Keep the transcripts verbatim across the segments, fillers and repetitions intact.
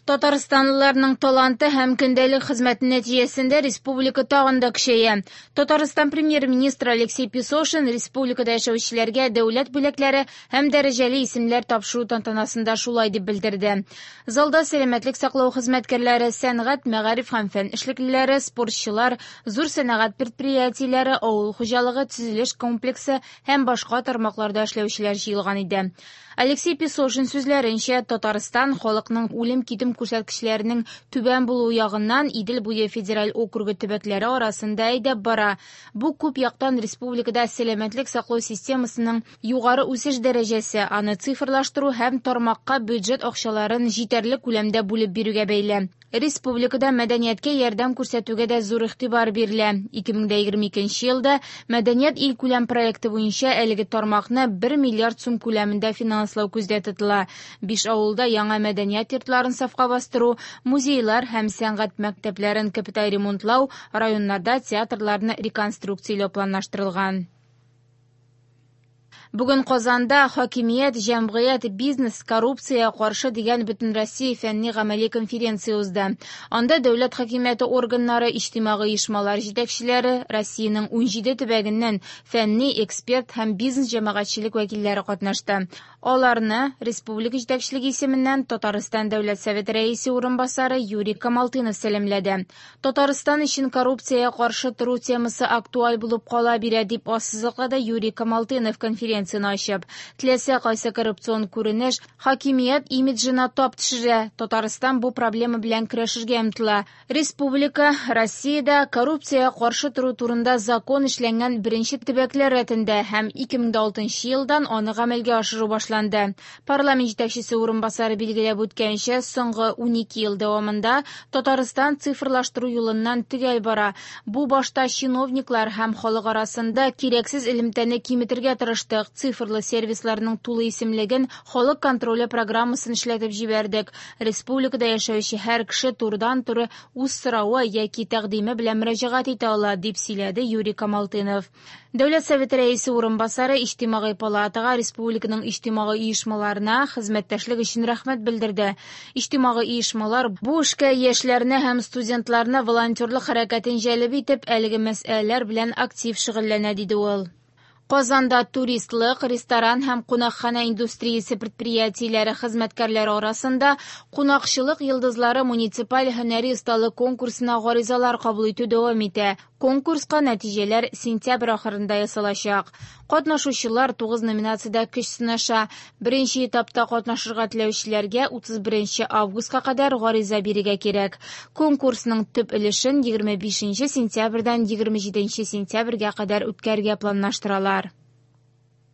Татарстанлыларның таланты һәм көндәлек хезмәте нәтиҗәсендә республика тагын да көчәя. Татарстан премьер-министры Алексей Песошин республикада яшәүчеләргә дәүләт бүләкләре һәм дәрәҗәле исемләр тапшыру тантанасында шулай дип белдерде. Залда сәламәтлек саклау хезмәткәрләре, сәнгать, мәгариф һәм фән эшлеклеләре, спортчылар, зур сәнәгать предприятиеләре, авыл хуҗалыгы, төзелеш комплексы һәм башка тармакларда эшләүчеләр җыелган иде. Алексей Песошин сүзләренчә, Татарстан халыкның үлем-китем күрсәткечләренең түбән булуы ягыннан Идел буе федераль округы төбәкләре арасында әйдәп бара. Бу күп яктан республикада сәламәтлек саклау системасының югары үсеш дәрәҗәсе, аны цифрлаштыру һәм тармакка бюджет акчаларын җитәрлек күләмдә бүлеп бирүгә бәйле. Республикада мәдәнияткә ярдәм күрсәтүгә дә зур игътибар бирелә. ике мең егерме икенче елда Мәдәният илкүләм проекты буенча әлеге тармакны бер миллиард сум күләмендә финанслау күздә тотыла. Биш авылда яңа мәдәният йортларын сафка бастыру, музейлар һәм сәнгать мәктәпләрен капиталь ремонтлау, районнарда театрларны реконструкцияләү планлаштырылган. Бүген Казанда хакимият, җәмгыять, бизнес, коррупция каршы дигән Бөтенроссия фәнни гамәли конференция узды. Анда дәүләт хакимияте органнары, иҗтимагый оешмалар җитәкчеләре, Россиянең унҗиде төбәгеннән фәнни, эксперт һәм бизнес җәмәгатьчелек вәкилләре катнашты. Аларны республика җитәкчелеге исеменнән Татарстан Дәүләт Советы рәисе урынбасары Юрий Камалтынов сәламләде. Татарстан өчен коррупциягә каршы тору темасы актуаль булып кала бирә, дип ассызыклады Юрий Камалтынов конференция ачып. Теләсә кайсы коррупцион күренеш хакимият имиджына тап төшерә. Татарстан бу проблема белән көрәшергә омтыла. Республика Россиядә коррупциягә каршы тору турында закон эшләнгән беренче төбәкләр рәтендә һәм ике мең алтынчы елдан аны гамәлгә ашыру башланды. Парламент җитәкчесе урынбасары билгеләп үткәнчә, соңгы унике ел дәвамында Татарстан цифрлаштыру юлыннан төгәл бара. Бу башта чиновниклар һәм халык арасында кирәксез элемтәне киметергә тырыштык. Цифрлы сервисларның тулы исемлеген халык контроле программасын эшләтеп җибәрдек. Республикада яшәүче һәр кеше турыдан-туры үз соравы яки тәкъдиме белән мөрәҗәгать итә ала, дип сөйләде Юрий Камалтынов. Дәүләт Советы рәисе урынбасары Иҗтимагый палатага, республиканың иҗтимагый оешмаларына хезмәттәшлек өчен рәхмәт белдерде. Иҗтимагый оешмалар бу эшкә яшьләрне һәм студентларны волонтерлык хәрәкәтен җәлеп итеп, әлеге мәсьәләләр белән актив шөгыльләнә, диде ул. Казанда туристлык, ресторан һәм кунакханә индустриясе предприятиеләре хезмәткәрләре арасында «Кунакчылык йолдызлары» муниципаль һөнәри осталык конкурсына гаризалар кабул итү дәвам итә. Конкурска нәтиҗәләр сентябрь ахырында ясалачак. Катнашучылар тугыз номинациядә көч сынаша. Беренче этапта катнашырга теләүчеләргә утыз беренче августка кадәр гариза бирергә кирәк. Конкурсның төп өлешен егерме бишенче сентябрьдән егерме җиденче сентябрьгә кадәр үткәрергә планлаштыралар.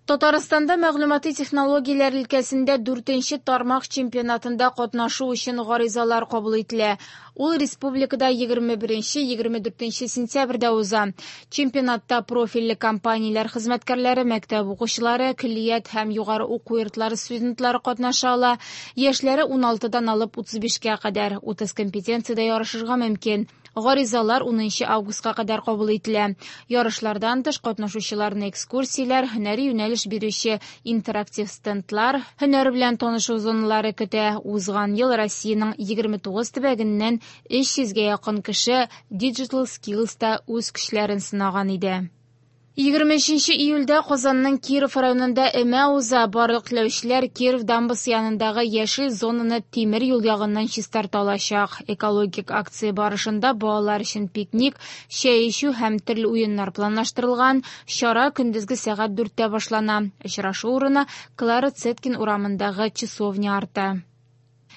Татарстанда мәгълүмати технологияләр өлкәсендә дүртенче тармак чемпионатында катнашу өчен гаризалар кабул ителә. Ул республикада егерме беренче егерме дүртенче сентябрьдә уза. Чемпионатта профильле компанияләр хезмәткәрләре, мәктәп укучылары, көллият һәм югары уку йортлары студентлары катнаша ала. Яшьләре уналтыдан алып утыз бишкә кадәр утыз компетенциядә ярышырга мөмкин. Гаризалар унынчы августка кадәр кабул ителә. Ярышлардан тыш катнашучыларны экскурсияләр, һөнәри юнәлеш бирүче интерактив стендлар, һөнәр белән танышу зоналары көтә. Узган ел Россиянең егерме тугыз төбәгеннән өч йөзгә якын кеше Digital Skills'та үз көчләрен сынаган иде. Егерме өченче июльдә Казанның Киров районында өмә уза. Барлык теләүчеләр Киров дамбасы янындагы яшел зонаны тимер юл ягыннан чистарта алачак. Экологик акция барышында балалар өчен пикник, чәй эчү һәм төрле уеннар планлаштырылган. Чара көндезге сәгать дүрттә башлана. Очрашу урыны Клара Цеткин урамындагы часовня арты.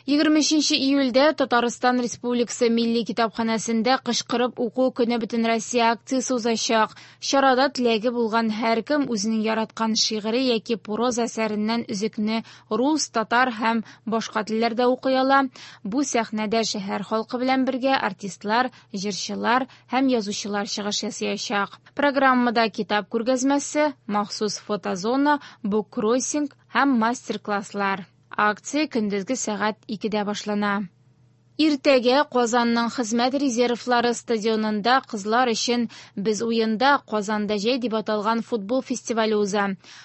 Егерме өченче июльдә Татарстан Республикасы Милли китапханәсендә кычкырып уку көне Бөтенроссия акциясе узачак. Чарада теләге булган һәркем үзенең яраткан шигыре яки проза әсәреннән өзекне рус, татар һәм башка телләрдә укый ала. Бу сәхнәдә шәһәр халкы белән бергә артистлар, җырчылар һәм язучылар чыгыш ясаячак. Программада китап күргәзмәсе, махсус фотозона, буккроссинг һәм мастер-класслар. Акция көндезге сәгать икедә башлана. Иртәгә Казанның Хезмәт резервлары стадионында кызлар өчен «Без уенда, Казанда җәй» дип аталган футбол фестивале уза.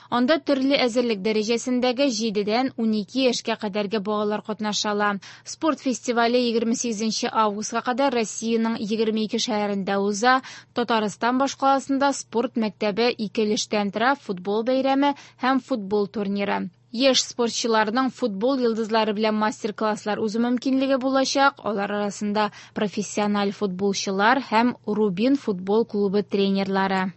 Анда төрле әзерлек дәрәҗәсендәге җидедән унике яшькә кадәрге балалар катнаша ала. Спорт фестивале егерме сигезенче августка кадәр Россиянең егерме ике шәһәрендә уза. Татарстан башкаласында спорт мәктәбе ике өлештән тора: футбол бәйрәме һәм футбол турниры. Яшь спортчыларның футбол йолдызлары белән мастер-класслар узу мөмкинлеге булачак. Алар арасында профессиональ футболчылар һәм Рубин футбол клубы тренерлары.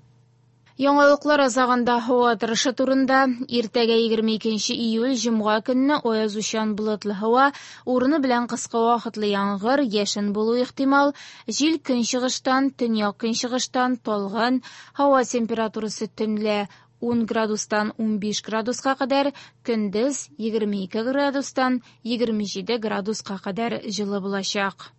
Яңалыклар азагында һава торышы турында. Иртәгә егерме икенче июль җомга көнне аязучан болытлы һава, урыны белән кыска вакытлы яңгыр, яшен булу ихтимал. Җил көнчыгыштан, төньяк көнчыгыштан талгын. Һава температурасы төнлә ун градустан унбиш градуска кадәр, көндез егерме ике градустан егерме җиде градуска кадәр җылы булачак.